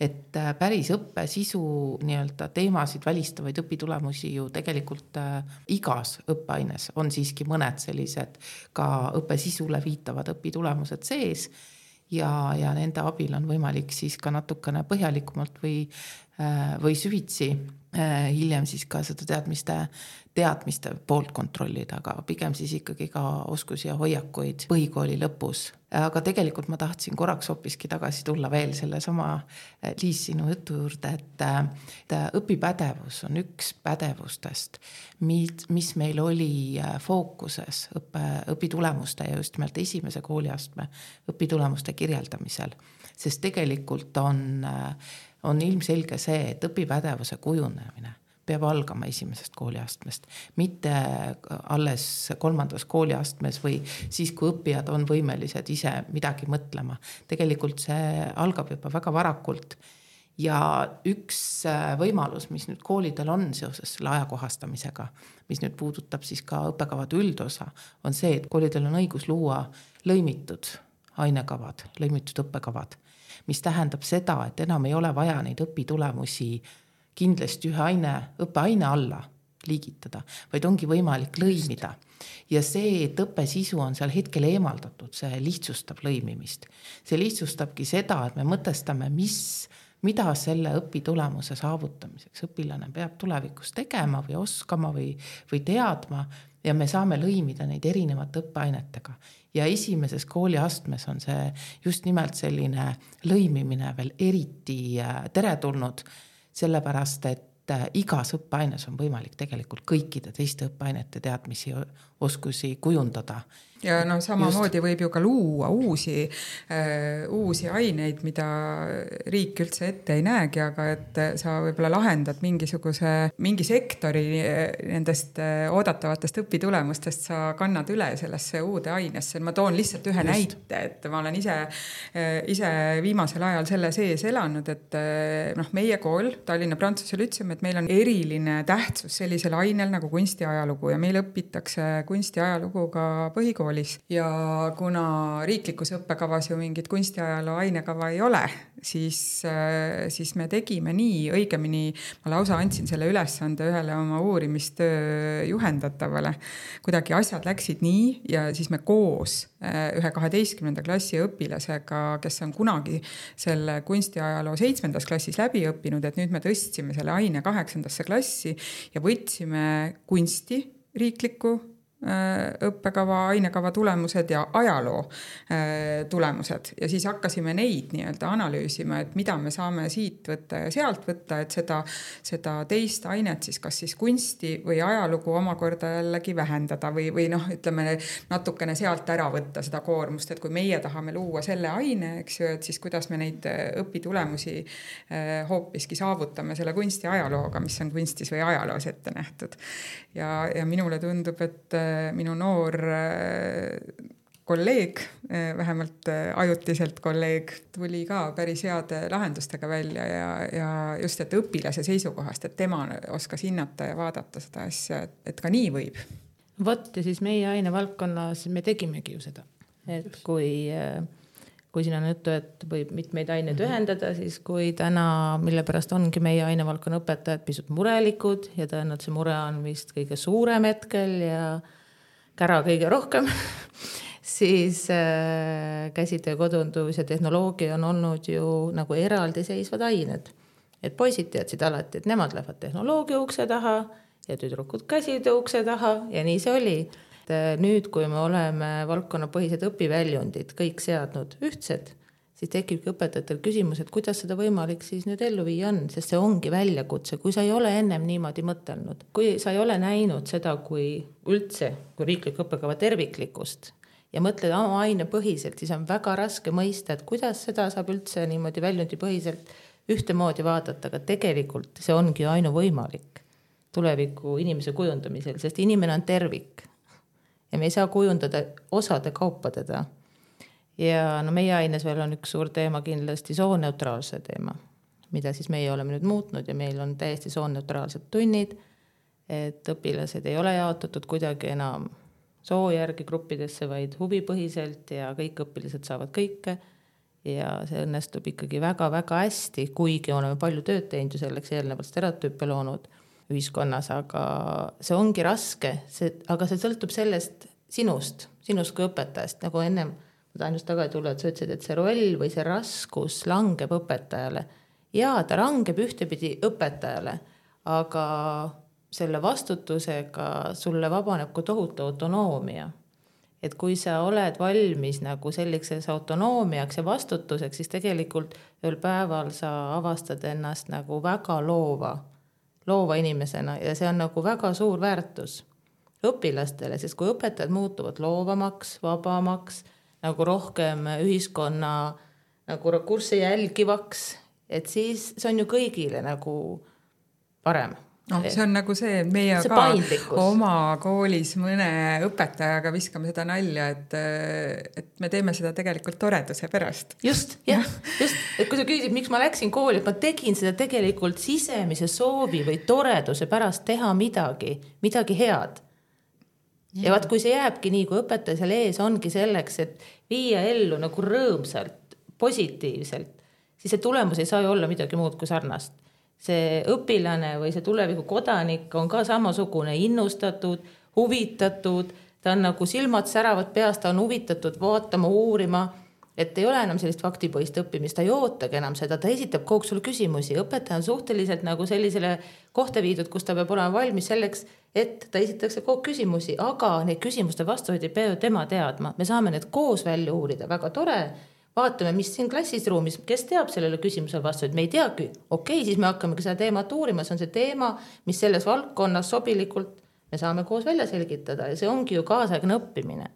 Et päris õppe sisu nii-öelda teemasid välistavaid õpitulemusi ju tegelikult igas õppeaines on siiski mõned sellised ka õppe sisule viitavad õpitulemused sees ja nende abil on võimalik siis ka natukene põhjalikumalt või süvitsi hiljem siis ka seda teadmiste poolt kontrollida, aga pigem siis ikkagi ka oskusi ja hoiakuid põhikooli lõpus. Aga tegelikult ma tahtsin korraks hoopiski tagasi tulla veel selle sama Liis sinu jutu juurde, et õpipädevus on üks pädevustest, mis meil oli fookuses õpitulemuste ja just nimelt esimese kooliastme õpitulemuste kirjeldamisel, sest tegelikult on ilmselge see, et õpipädevuse kujunemine peab algama esimesest kooliastmest, mitte alles 3. kooliastmes või siis, kui õppijad on võimelised ise midagi mõtlema. Tegelikult see algab juba väga varakult ja üks võimalus, mis nüüd koolidel on seoses selle ajakohastamisega, mis nüüd puudutab siis ka õppekavade üldosa, on see, et koolidel on õigus luua lõimitud ainekavad, lõimitud õppekavad, mis tähendab seda, et enam ei ole vaja neid õpitulemusi kindlasti ühe õppeaine alla liigitada, vaid ongi võimalik lõimida. Ja see, et õppesisu on seal hetkel eemaldatud, see lihtsustab lõimimist. See lihtsustabki seda, et me mõtestame, mida selle õpitulemuse saavutamiseks õpilane peab tulevikus tegema või oskama või teadma ja me saame lõimida neid erinevate õppeainetega. Ja esimeses kooliastmes on see just nimelt selline lõimimine veel eriti teretulnud, sellepärast, et igas õppeaines on võimalik tegelikult kõikide teiste õppeainete teadmisi oskusi kujundada. Ja samamoodi võib ju ka luua uusi aineid, mida riik üldse ette ei näegi, aga et sa võib-olla lahendad mingi sektori nendest oodatavatest õpitulemustest, sa kannad üle sellesse uude ainesse. Ma toon lihtsalt ühe näite, et ma olen ise viimasel ajal selle sees elanud, et meie kool, Tallinna Prantsuse Lütseum, et meil on eriline tähtsus sellisel ainel nagu kunstiajalugu ja meil õpitakse kunstiajalugu ka põhikoolis. Ja kuna riiklikus õppekavas ju mingit kunstiajaloo ainekava ei ole, siis me tegime nii, õigemini ma lausa andsin selle ülesande ühele oma uurimistöö juhendatavale. Kuidagi asjad läksid nii ja siis me koos ühe 12. klassi õpilasega, kes on kunagi selle kunstiajaloo 7. klassis läbi õppinud, et nüüd me tõstsime selle aine 8. klassi ja võtsime kunsti riiklikku õppekava, ainekava tulemused ja ajaloo tulemused ja siis hakkasime neid nii-öelda analüüsima, et mida me saame siit võtta ja sealt võtta, et seda teist ainet siis kas siis kunsti või ajalugu omakorda jällegi vähendada või ütleme natukene sealt ära võtta seda koormust, et kui meie tahame luua selle aine, eks ju, et siis kuidas me neid õpitulemusi hoopiski saavutame selle kunsti ajalooga, mis on kunstis või ajaloos ette nähtud. Ja minule tundub, et minu noor kolleeg, vähemalt ajutiselt kolleeg, tuli ka päris heade lahendustega välja ja just, et õpilase seisukohast, et tema oskas hinnata ja vaadata seda asja, et ka nii võib. Vot ja siis meie ainevaldkonnas me tegimegi ju seda, et kui siin on juttu, et võib mitmeid aineid ühendada, siis kui täna, mille pärast ongi meie ainevaldkonna õpetajad pisut murelikud ja tõenäoliselt see mure on vist kõige suurem hetkel ja kära kõige rohkem, siis käsitöö, kodundus ja tehnoloogia on olnud ju nagu eraldiseisvad ained. Et poisid teadsid alati, et nemad lähevad tehnoloogia ukse taha ja tüdrukud käsitöö ukse taha ja nii see oli. Nüüd, kui me oleme valdkonnapõhised õpiväljundid kõik seadnud ühtsed, siis tekibki õpetajatel küsimus, et kuidas seda võimalik siis nüüd ellu viia on, sest see ongi väljakutse, kui sa ei ole ennem niimoodi mõtelnud. Kui sa ei ole näinud seda kui riiklik õppekava terviklikkust ja mõtled oma aine põhiselt, siis on väga raske mõista, et kuidas seda saab üldse niimoodi väljundi põhiselt ühtemoodi vaadata, aga tegelikult see ongi ainuvõimalik tuleviku inimese kujundamisel, sest inimene on tervik ja me ei saa kujundada osade kaupa teda. Ja meie aines veel on üks suur teema kindlasti sooneutraalse teema, mida siis meie oleme nüüd muutnud ja meil on täiesti sooneutraalsed tunnid, et õpilased ei ole jaotatud kuidagi enam soo järgi gruppidesse, vaid huvipõhiselt ja kõik õpilased saavad kõike ja see õnnestub ikkagi väga-väga hästi, kuigi oleme palju tööd teinud ju selleks eelnevalt stereotüüpe loonud ühiskonnas, aga see ongi raske, aga see sõltub sellest sinust kui õpetajast, nagu ennem ma tahan just tagasi tulla, et sa ütlesid, et see roll või see raskus langeb õpetajale. Jaa, ta langeb ühtepidi õpetajale, aga selle vastutusega sulle vabaneb kui tohutu autonoomia. Et kui sa oled valmis nagu selliseks autonoomiaks ja vastutuseks, siis tegelikult ühel päeval sa avastad ennast nagu väga loova inimesena ja see on nagu väga suur väärtus õpilastele, sest kui õpetajad muutuvad loovamaks, vabamaks, nagu rohkem ühiskonna nagu kursse jälgivaks, et siis see on ju kõigile nagu parem. No, see on nagu see, meie see ka paindlikkus. Oma koolis mõne õpetajaga viskame seda nalja, et me teeme seda tegelikult toreduse pärast. Just, jah, just. Et kui sa küsisid, miks ma läksin kooli, et ma tegin seda tegelikult sisemise soovi või toreduse pärast teha midagi head. Ja vaat, kui see jääbki nii, kui õpetaja seal ees ongi selleks, et viia ellu nagu rõõmsalt, positiivselt, siis see tulemus ei saa ju olla midagi muud kui sarnast. See õpilane või see tuleviku kodanik on ka samasugune innustatud, huvitatud, ta on nagu silmad säravad peast, ta on huvitatud vaatama, uurima, et ei ole enam sellist faktipõhist õppimist, ta ei ootagi enam seda, ta esitab kogu sulle küsimusi. Õpetaja on suhteliselt nagu sellisele kohta viidud, kus ta peab olema valmis selleks, et ta esitakse kogu küsimusi, aga neid küsimuste vastuhoid ei pea tema teadma. Me saame need koos välja uurida, väga tore. Vaatame, mis siin klassis ruumis, kes teab sellele küsimusele vastuhoid, me ei teagi. Okei, siis me hakkame seda teemat uurima, see on see teema, mis selles valdkonnas sobilikult me saame koos välja selgitada ja see ongi ju kaasaegne õppimine.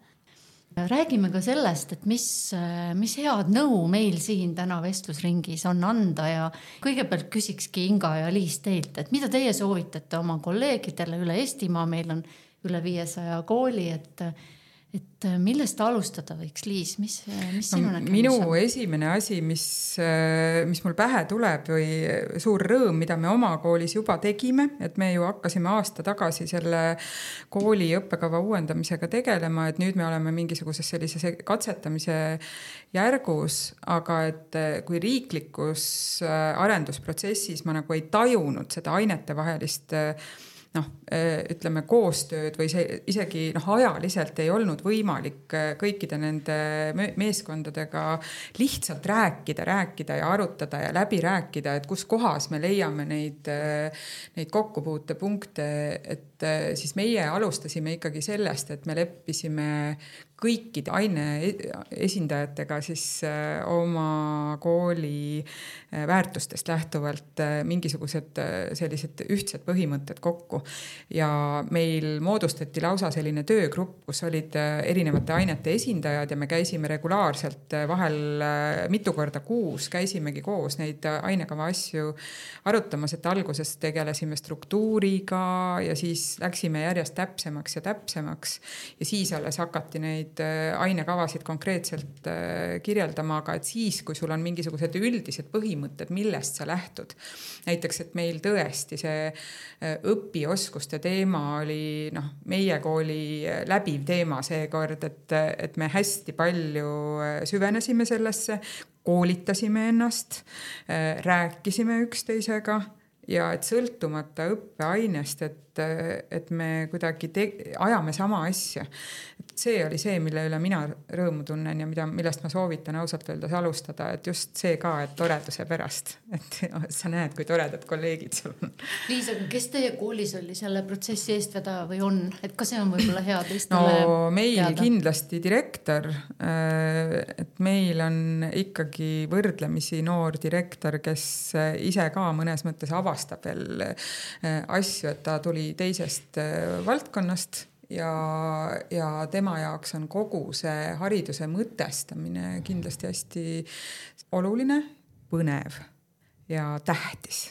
Räägime ka sellest, et mis head nõu meil siin täna vestlusringis on anda ja kõigepealt küsikski Inga ja Liis teilt, et mida teie soovitate oma kolleegidele üle Eestimaa, meil on üle 500 kooli, et millest alustada võiks, Liis, mis sinu nägemus on? Minu esimene asi, mis mul pähe tuleb või suur rõõm, mida me oma koolis juba tegime, et me ju hakkasime aasta tagasi selle kooli õppekava uuendamisega tegelema, et nüüd me oleme mingisuguses sellise katsetamise järgus, aga et kui riiklikus arendusprotsessis ma nagu ei tajunud seda ainete vahelist ütleme koostööd või see isegi ajaliselt ei olnud võimalik kõikide nende meeskondadega lihtsalt rääkida ja arutada ja läbi rääkida, et kus kohas me leiame neid kokkupuutepunkte, et siis meie alustasime ikkagi sellest, et me leppisime kõikide aine esindajatega siis oma kooli väärtustest lähtuvalt mingisugused sellised ühtsed põhimõtted kokku. Ja meil moodustati lausa selline töögrupp, kus olid erinevate ainete esindajad ja me käisime regulaarselt vahel mitu korda kuus, käisimegi koos neid ainekava asju arutamas, et alguses tegelesime struktuuriga ja siis läksime järjest täpsemaks ja siis alles hakati neid ainekavasid konkreetselt kirjeldama, aga et siis, kui sul on mingisugused üldised põhimõtted, millest sa lähtud. Näiteks, et meil tõesti see õpioskuste teema oli meie kooli läbiv teema seekord, et me hästi palju süvenesime sellesse, koolitasime ennast, rääkisime üksteisega ja et sõltumata õppeainest, et me kuidagi ajame sama asja. Et see oli see, mille üle mina rõõmu tunnen ja millest ma soovitan ausalt öeldes alustada, et just see ka, et toreduse pärast, et sa näed, kui toredad kolleegid sul on. Liisa, kes teie koolis oli selle protsessi eestvedaja või on? Et ka see on võib-olla hea teistele meil teada? Kindlasti direktor, et meil on ikkagi võrdlemisi noor direktor, kes ise ka mõnes mõttes avastab veel asju, et ta tuli teisest valdkonnast ja tema jaoks on kogu see hariduse mõtestamine kindlasti hästi oluline, põnev ja tähtis.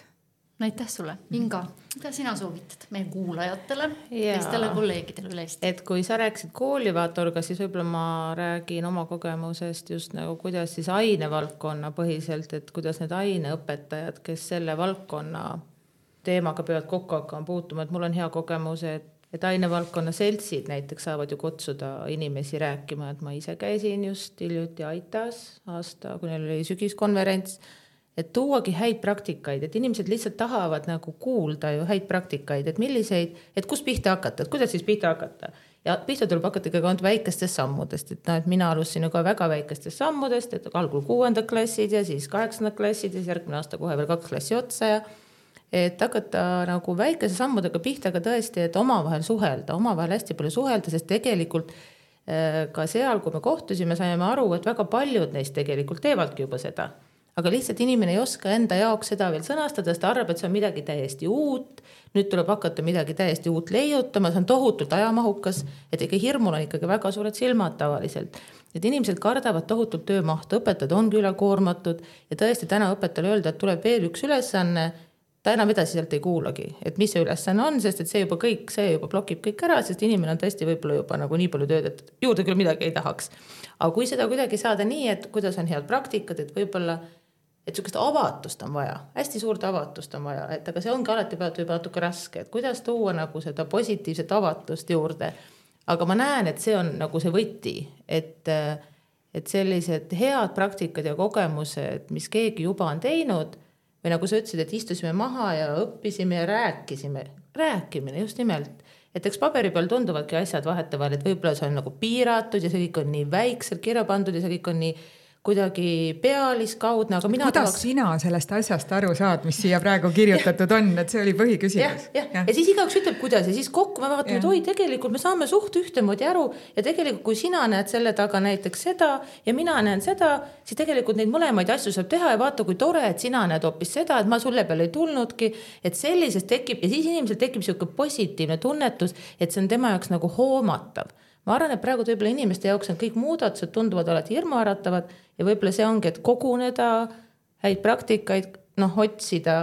Aitäh sulle. Inga, mida sina soovitad meie kuulajatele, teistele kolleegidele üle Eesti? Et kui sa rääkisid koolivaatorga, siis võib-olla ma räägin oma kogemusest just nagu kuidas siis ainevaldkonna põhiselt, et kuidas need aineõpetajad, kes selle valdkonna teemaga peavad kokku hakkama puutuma, et mul on hea kogemus, et ainevaldkonna seltsid näiteks saavad ju kutsuda inimesi rääkima, et ma ise käisin just hiljuti Aitas aasta, kui neil oli sügiskonverents, et tuuagi häid praktikaid, et inimesed lihtsalt tahavad nagu kuulda ju häid praktikaid, et milliseid, et kus pihta hakata, et kuidas siis pihta hakata. Ja pihta tuleb hakata ikkagi ainult väikestest sammudest, et mina alustasin ju ka väga väikestest sammudest, et algul 6. klassid ja siis 8. klassid ja siis järgmine aasta kohe veel 2 klassi otsa ja et hakata nagu väikese sammudega pihta, aga tõesti, et omavahel suhelda, omavahel hästi palju suhelda, sest tegelikult ka seal, kui me kohtusime, saime aru, et väga paljud neist tegelikult teevadki juba seda. Aga lihtsalt inimene ei oska enda jaoks seda veel sõnastada, sest ta arvab, et see on midagi täiesti uut, nüüd tuleb hakata midagi täiesti uut leiutama, see on tohutult ajamahukas, et ikka hirmul on ikkagi väga suured silmad tavaliselt. Et inimesed kardavad tohutult töömahtu, õpetajad ongi ülekoormatud ja tõesti täna õpetajale öelda, et tuleb veel üks ülesanne, ta enam edasi sealt ei kuulagi, et mis see ülesanne on, sest et see juba blokib kõik ära, sest inimene on tõesti võib-olla juba nagu nii palju tööd, et juurde küll midagi ei tahaks. Aga kui seda kuidagi saada nii, et kuidas on head praktikad, et võib-olla, et sellist avatust on vaja, hästi suurt avatust on vaja, et aga see ongi alati juba natuke raske, et kuidas tuua nagu seda positiivset avatust juurde. Aga ma näen, et see on nagu see võti, et sellised head praktikad ja kogemused, mis keegi juba on teinud, või nagu sa ütlesid, et istusime maha ja õppisime ja rääkimine just nimelt. Et eks paberi peal tunduvadki asjad vahetevahel, et võib-olla see on nagu piiratud ja see kõik on nii väikselt kirja pandud ja see kõik on nii kuidagi pealiskaudne, aga mina kuidas sina sellest asjast aru saad, mis siia praegu kirjutatud on, et see oli põhiküsimus. Ja siis igaüks ütleb, kuidas ja siis kokku me vaatame, et oi, tegelikult me saame suht ühtemoodi aru ja tegelikult kui sina näed selle taga näiteks seda ja mina näen seda, siis tegelikult neid mõlemaid asju saab teha ja vaata, kui tore, et sina näed hoopis seda, et ma sulle peale ei tulnudki, et sellisest tekib ja siis inimesel tekib selline positiivne tunnetus, et see on tema jaoks nagu hoomatav. Ma arvan, et praegu võib-olla inimeste jaoks on kõik muudatused tunduvad alati hirmuäratavad ja võib-olla see ongi, et koguneda häid praktikaid, otsida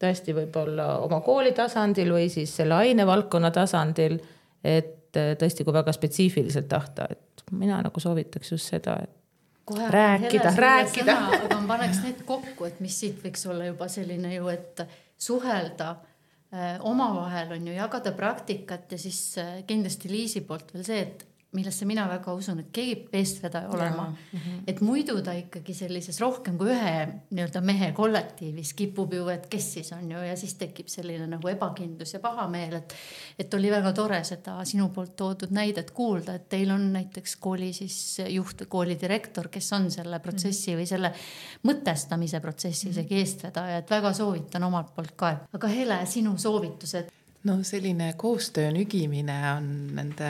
tõesti võib-olla oma kooli tasandil või siis selle ainevaldkonna tasandil, et tõesti kui väga spetsiifiliselt tahta, et mina nagu soovitaks just seda, et kohe rääkida. Aga ma paneks need kokku, et mis siit võiks olla juba selline ju, et suhelda omavahel on ju jagada praktikat ja siis kindlasti Liisi poolt veel see, et millesse mina väga usun, et keegi eestvedaja olema. Et muidu ta ikkagi sellises rohkem kui ühe nii-öelda mehe kollektiivis kipub ju, et kes siis on ju, ja siis tekib selline nagu ebakindlus ja pahameel, et oli väga tore seda sinu poolt toodud näidet kuulda, et teil on näiteks kooli siis juht, kooli direktor, kes on selle protsessi või selle mõtestamise protsessi isegi eestvedaja, et väga soovitan omalt poolt ka. Aga Hele, sinu soovitused? No selline koostöö nügimine on nende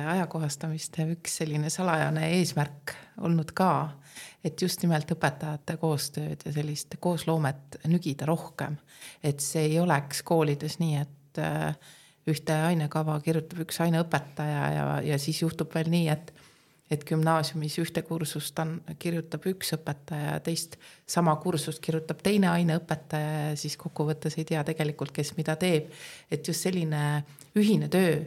ajakohastamiste üks selline salajane eesmärk olnud ka, et just nimelt õpetajate koostööd ja sellist koosloomet nügida rohkem. Et see ei oleks koolides nii, et ühte ainekava kirjutab üks aineõpetaja ja siis juhtub veel nii, et gümnaasiumis ühte kursust kirjutab üks õpetaja ja teist sama kursust kirjutab teine aineõpetaja ja siis kokkuvõttes ei tea tegelikult, kes mida teeb. Et just selline ühine töö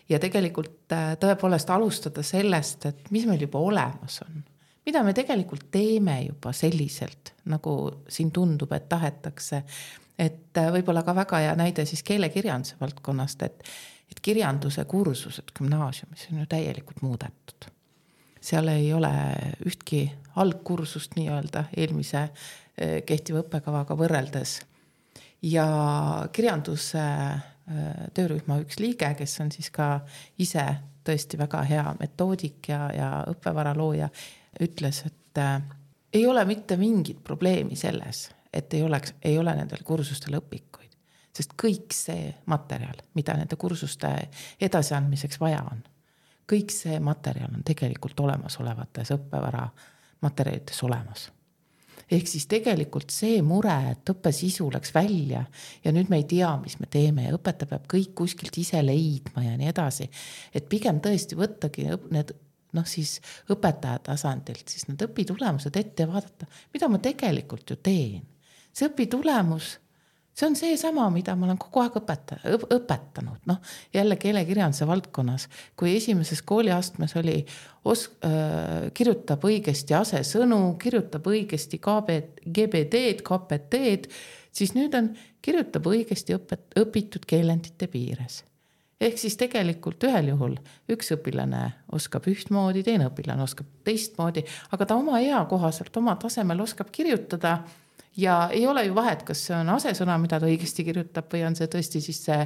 ja tegelikult tõepoolest alustada sellest, et mis meil juba olemas on. Mida me tegelikult teeme juba selliselt, nagu siin tundub, et tahetakse. Et võib-olla ka väga hea näide siis keelekirjanduse valdkonnast, et kirjanduse kursused gümnaasiumis on ju täielikult muudetud. Seal ei ole ühtki algkursust nii-öelda eelmise kehtiva õppekavaga võrreldes. Ja kirjanduse töörühma üks liige, kes on siis ka ise tõesti väga hea metoodik ja õppevara looja, ütles, et ei ole mitte mingit probleemi selles, et ei ole nendel kursustel õpikuid, sest kõik see materjal, mida nende kursuste edasiandmiseks vaja on, kõik see materjal on tegelikult olemasolevates õppevara materjalides olemas. Ehk siis tegelikult see mure, et õppesisu läks välja ja nüüd me ei tea, mis me teeme ja õpetaja peab kõik kuskilt ise leidma ja nii edasi. Et pigem tõesti võttagi need siis õpetaja tasandilt, siis need õpitulemused ette ja vaadata, mida ma tegelikult ju teen. See õpitulemus, see on see sama, mida ma olen kogu aeg õpetanud. Jälle keelekirjanduse valdkonnas, kui esimeses kooliastmes oli kirjutab õigesti asesõnu, kirjutab õigesti GBD-d, KPT-d, siis nüüd on kirjutab õigesti õpitud keelendite piires. Ehk siis tegelikult ühel juhul üks õpilane oskab ühtmoodi, teine õpilane oskab teistmoodi, aga ta oma ea kohaselt, oma tasemel oskab kirjutada. Ja ei ole ju vahet, kas see on asesõna, mida ta õigesti kirjutab või on see tõesti siis see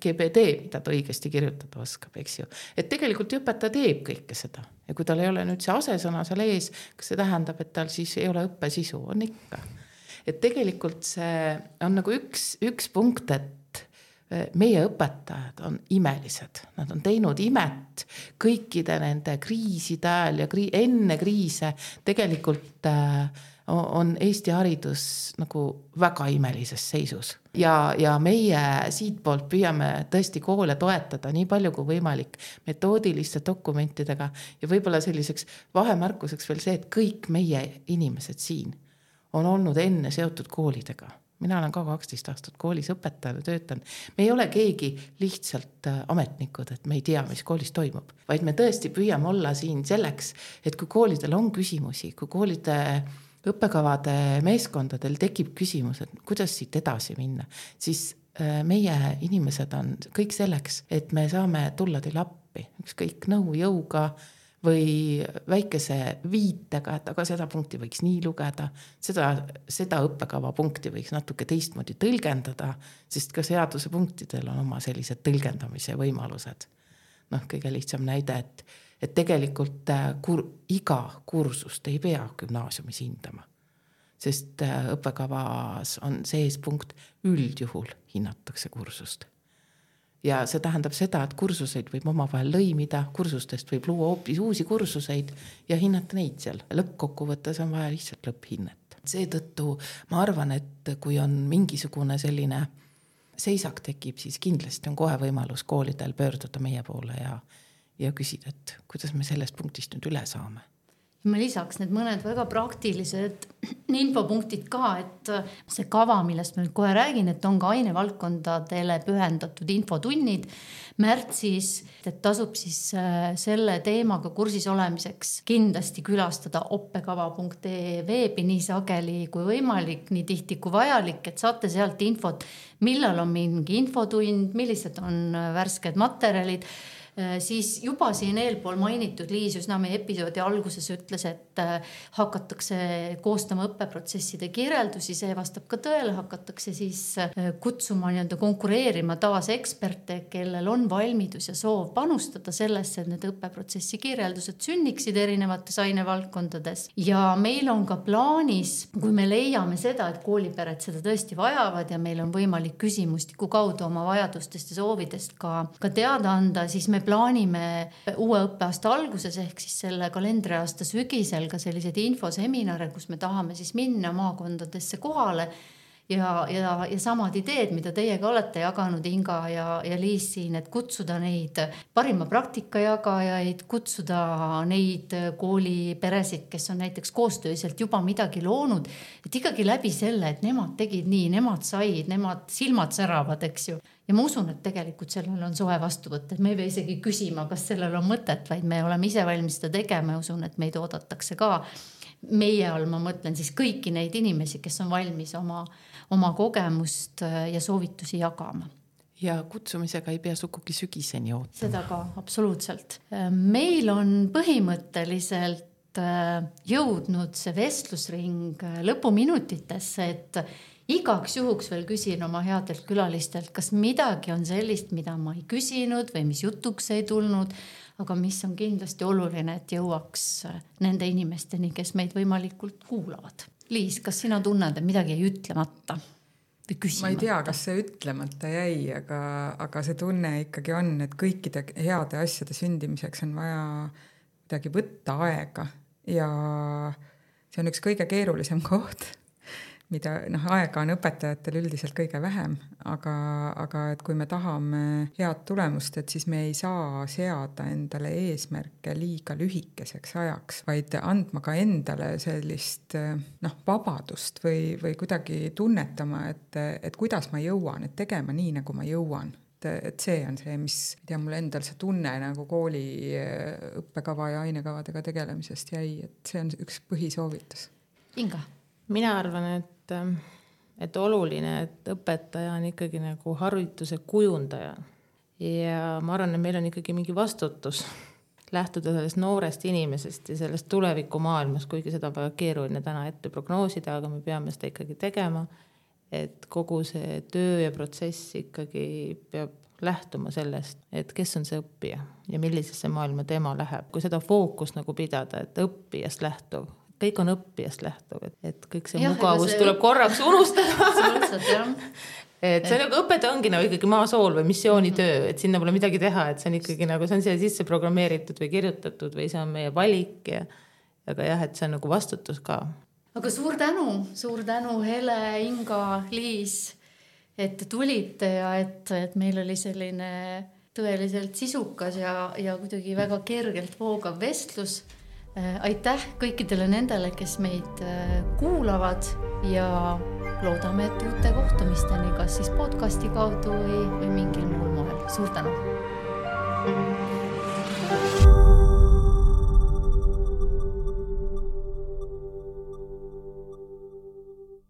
GBD, mida ta õigesti kirjutada oskab, eks ju. Et tegelikult õpetaja teeb kõike seda. Ja kui tal ei ole nüüd see asesõna seal ees, kas see tähendab, et tal siis ei ole õppesisu, on ikka. Et tegelikult see on nagu üks punkt, et meie õpetajad on imelised. Nad on teinud imet kõikide nende kriiside ajal ja enne kriise tegelikult on Eesti haridus nagu väga imelises seisus. Ja meie siit poolt püüame tõesti koole toetada nii palju kui võimalik metoodiliste dokumentidega ja võib-olla selliseks vahemärkuseks veel see, et kõik meie inimesed siin on olnud enne seotud koolidega. Mina olen ka 12 aastat koolis õpetajana töötanud. Me ei ole keegi lihtsalt ametnikud, et me ei tea, mis koolis toimub, vaid me tõesti püüame olla siin selleks, et kui koolidel on küsimusi, kui koolide õppekavade meeskondadel tekib küsimus, et kuidas siit edasi minna, siis meie inimesed on kõik selleks, et me saame tulla teil appi, ükskõik nõu jõuga või väikese viitega, et aga seda punkti võiks nii lugeda, seda õppekava punkti võiks natuke teistmoodi tõlgendada, sest ka seaduse punktidel on oma sellised tõlgendamise võimalused. Kõige lihtsam näide, et tegelikult iga kursust ei pea gümnaasiumis hindama, sest õppekavas on sees punkt üldjuhul hinnatakse kursust. Ja see tähendab seda, et kursuseid võib omavahel lõimida, kursustest võib luua hoopis uusi kursuseid ja hinnata neid seal. Lõppkokkuvõttes on vaja lihtsalt lõpphinnet. Seetõttu ma arvan, et kui on mingisugune selline seisak tekib, siis kindlasti on kohe võimalus koolidel pöörduda meie poole ja küsida, et kuidas me sellest punktist nüüd üle saame. Ma lisaks need mõned väga praktilised infopunktid ka, et see kava, millest ma nüüd kohe räägin, et on ka ainevaldkondadele pühendatud infotunnid märtsis, et tasub siis selle teemaga kursis olemiseks kindlasti külastada oppekava.ee veebi nii sageli kui võimalik, nii tihti kui vajalik, et saate sealt infot, millal on mingi infotund, millised on värsked materjalid. siis juba siin eelpool mainitud Liis üsna meie episoodi alguses ütles, et hakatakse koostama õppeprotsesside kirjeldusi, see vastab ka tõele, hakatakse siis kutsuma nii-öelda konkureerima taas eksperte, kellel on valmidus ja soov panustada sellesse, et need õppeprotsessi kirjeldused sünniksid erinevates ainevaldkondades. Ja meil on ka plaanis, kui me leiame seda, et koolipered seda tõesti vajavad ja meil on võimalik küsimustiku kaudu oma vajadustest ja soovidest ka teada anda, siis me plaanime uue õppeaasta alguses ehk siis selle kalendriaasta sügisel ka sellised infoseminare, kus me tahame siis minna maakondadesse kohale ja samad ideed, mida teie ka olete jaganud, Inga ja Liis siin, et kutsuda neid parima praktika jagajaid, kutsuda neid kooliperesid, kes on näiteks koostööselt juba midagi loonud, et ikkagi läbi selle, et nemad tegid nii, nemad said, nemad silmad säravad, eks ju. Ja ma usun, et tegelikult sellel on soe vastuvõtt, et me ei pea isegi küsima, kas sellel on mõtet, vaid me oleme ise valmis seda tegema ja usun, et meid oodatakse ka. Meie all ma mõtlen siis kõiki neid inimesi, kes on valmis oma kogemust ja soovitusi jagama. Ja kutsumisega ei pea sugugi sügiseni ootama. Seda ka, absoluutselt. Meil on põhimõtteliselt jõudnud see vestlusring lõpuminutitesse, et igaks juhuks veel küsin oma headelt külalistelt, kas midagi on sellist, mida ma ei küsinud või mis jutuks ei tulnud, aga mis on kindlasti oluline, et jõuaks nende inimesteni, kes meid võimalikult kuulavad. Liis, kas sina tunned, et midagi ei ütlemata või küsimata? Ma ei tea, kas see ütlemata jäi, aga see tunne ikkagi on, et kõikide heade asjade sündimiseks on vaja midagi võtta aega ja see on üks kõige keerulisem koht, mida aega on õpetajatel üldiselt kõige vähem, aga et kui me tahame head tulemust, et siis me ei saa seada endale eesmärke liiga lühikeseks ajaks, vaid andma ka endale sellist vabadust või kuidagi tunnetama, et kuidas ma jõuan, et tegema nii, nagu ma jõuan. Et see on see, mis mul endal see tunne nagu kooli õppekava ja ainekavadega tegelemisest jäi, et see on üks põhisoovitus. Inga? Mina arvan, et oluline, et õpetaja on ikkagi nagu harituse kujundaja ja ma arvan, et meil on ikkagi mingi vastutus lähtuda sellest noorest inimesest ja sellest tulevikumaailmas, kuigi seda on väga keeruline täna ette prognoosida, aga me peame seda ikkagi tegema, et kogu see töö ja protsess ikkagi peab lähtuma sellest, et kes on see õppija ja millisesse maailma tema läheb. Kui seda fookust nagu pidada, et õppijast lähtuv, kõik on õppijast lähtuv, et kõik see mugavus tuleb korraks unustada. Et see nagu õpetaja ongi nagu ikkagi maasool või missioonitöö, et sinna pole midagi teha, et see on ikkagi nagu see on siia sisse programmeeritud või kirjutatud või see on meie valik aga jah, et see on nagu vastutus ka. Aga suur tänu Hele, Inga, Liis, et te tulite ja et meil oli selline tõeliselt sisukas ja kuidagi väga kergelt voogav vestlus. Aitäh kõikidele nendele, kes meid kuulavad ja loodame, et uute kohtumisteni, kas siis podcasti kaudu või mingil muul moel. Suur tänu!